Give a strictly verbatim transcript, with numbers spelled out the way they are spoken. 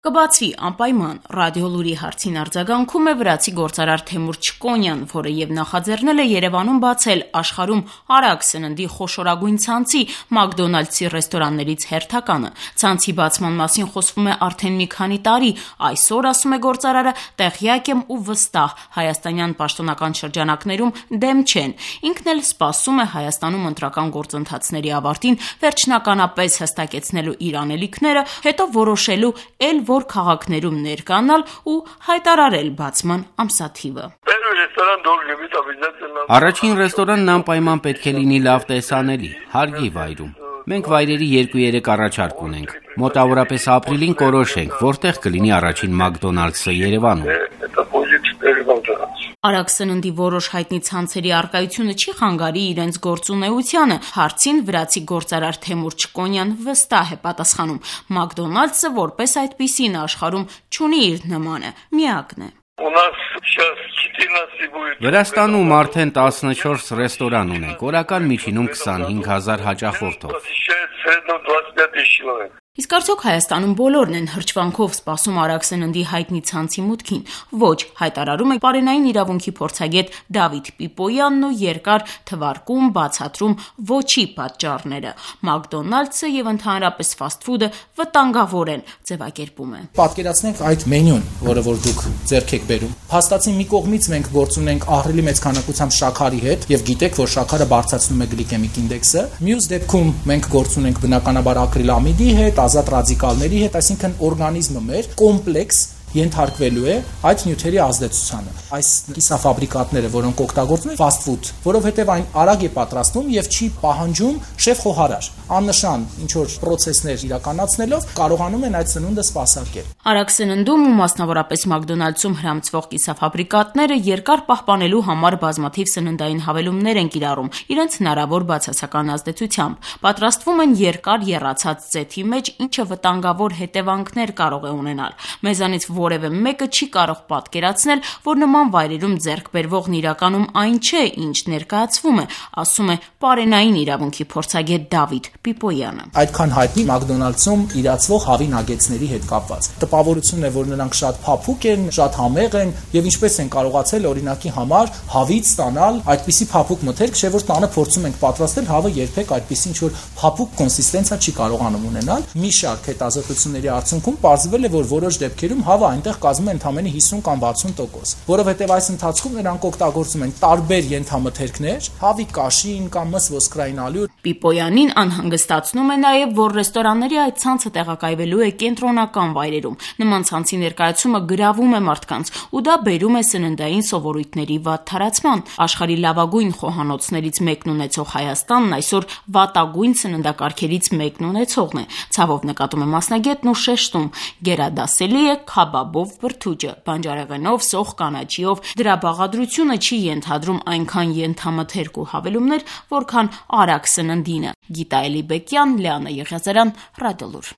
Կբացվի անպայման ռադիոլուրի հարցին արձագանքում է վրացի գործարար Թեմուր Չկոնյան, որը եւ նախաձեռնել է Երևանում բացել աշխարհում արագ սննդի խոշորագույն ցանցի Մակդոնալդսի ռեստորաններից հերթականը։ Ցանցի բացման մասին խոսվում է արդեն մի քանի տարի։ Այսօր, ասում է գործարարը, տեղյակ եմ ու վստահ, հայաստանյան պաշտոնական շրջանակներում դեմ չեն։ Ինքն էլ սպասում է Հայաստանում ընտրական գործընթացների ավարտին վերջնականապես հստակեցնելու իր անելիքները, հետո որոշելու էլ որ քաղաքներում ներկանալ ու հայտարարել բացման ամսաթիվը։ Առաջին ռեստորանն անպայման պետք է լինի լավ տեսանելի, հարգի վայրում։ Մենք վայրերի երկու-երեք առաջարկ ունենք։ Մոտավորապես ապրիլին կորոշենք, որտեղ կլինի առաջին Մակդոնալդսը Երևանում։ Արագ սննդի որոշ հայտնի ցանցերի առկայությունը չի խանգարի իրենց գործունեությանը։ Հարցին վրացի գործարար Թեմուր Չկոնյան վստահ է պատասխանում. Մակդոնալդսը որպես այդպիսին աշխարհում չունի իր նմանը, միակն է։ Վրաստանում արդեն տասնչորս ռեստորան ունենք, օրական միջինում քսանհինգ հազար հաճախորդով։ Իսկ արդյոք Հայաստանում բոլորն են հրճվանքով սպասում արագ սննդի հայտնի ցանցի մուտքին։ Ոչ, հայտարարում է պարենային իրավունքի փորձագետ Դավիթ Պիպոյանն ու երկար թվարկում բացատրում ոչի պատճառները։ Մակդոնալդսը եւ ընդհանրապես ֆասթ-ֆուդը վտանգավոր են, ձևակերպում է։ Պատկերացնենք այդ մենյուն, որը որ դուք ձեռք եք բերում։ Փաստացի մի կողմից մենք գործ ունենք ահռելի մեծ քանակությամբ շաքարի հետ եւ գիտեք, որ շաքարը բարձրացնում է գլիկեմիկ ինդեքսը։ Մյուս դեպքում մենք գործ ունենք բնականաբար ակրիլամիդի հետ, ազատ ռադիկալների հետ, այսինքն օրգանիզմը մեր կոմպլեքս ենթարկվելու է այդ նյութերի ազդեցությանը։ Այս կիսաֆաբրիկատները, որոնք օգտագործվում են ֆասթ ֆուդ, որովհետև այն արագ է պատրաստվում եւ չի պահանջում շեֆ խոհարար։ Աննշան ինչ որ process-ներ իրականացնելով կարողանում են այդ սնունդը սպասարկել։ Արագ սննդում ու մասնավորապես Մակդոնալդսում հրամցվող կիսաֆաբրիկատները երկար պահպանելու համար բազմաթիվ սննդային հավելումներ են կիրառում իրենց հնարավոր բացասական ազդեցությամբ։ Պատրաստվում են երկար եռացած ձեթի մեջ, ինչը վտանգավոր հետևանքներ կարող է ունենալ։ Մեզանից որևէ մեկը չի կարող պատկերացնել, որ նման վայրերում ձեռք բերվողն իրականում այն չէ, ինչ ներկայացվում է, ասում է պարենային իրավունքի փորձագետ Դավիթ Պիպոյանը։ Այդքան հայտնի Մակդոնալդսում իրացվող հավի նագեցների հետ կապված։ Տպավորությունն է, որ նրանք շատ փափուկ են, շատ համեղ են եւ ինչպես են կարողացել օրինակի համար հավից ստանալ այդպիսի փափուկ մթերք, չէ՞ որ տանը փորձում ենք պատրաստել, հավը երբեք այդպիսի ինչ որ փափուկ կոնսիստենցիա չի կարողանում ունենալ։ Մի շարք հետազոտությունների արդյունքում պարզվել է, որ որոշ դեպքերում հավը այնտեղ կազմում է ընդամենը հիսուն կամ վաթսուն տոկոս, որովհետև այս ընթացքում նրանք օգտագործում են տարբեր ենթամթերքներ, հավի կաշին կամ մս ոսկրային ալյուր։ Պիպոյանին անհանգստացնում է նաև, որ ռեստորանների այդ ցանցը տեղակայվելու է կենտրոնական վայրերում։ Նման ցանցի ներկայացումը գրավում է մարդկանց ու դա բերում է սննդային սովորույթների վատ թարացման։ Աշխարհի լավագույն խոհանոցներից մեկն ունեցող Հայաստանն այսօր վատագույն սննդակարգերից մեկն ունեցողն է։ Ցավով նկատում է մասնագետն ու շեշտում. գերադասելի է քաբաբով բրդուճը, բանջարեղենով, սոխ կանաչիով։ Դրա բաղադրությունը չի ենթադրում այնքան ենթամթերք ու հավելումներ, որքան արագ սննդինը։ Գիտա Էլիբեկյան, Լիանա Եղիազարյան, Ռադիոլուր։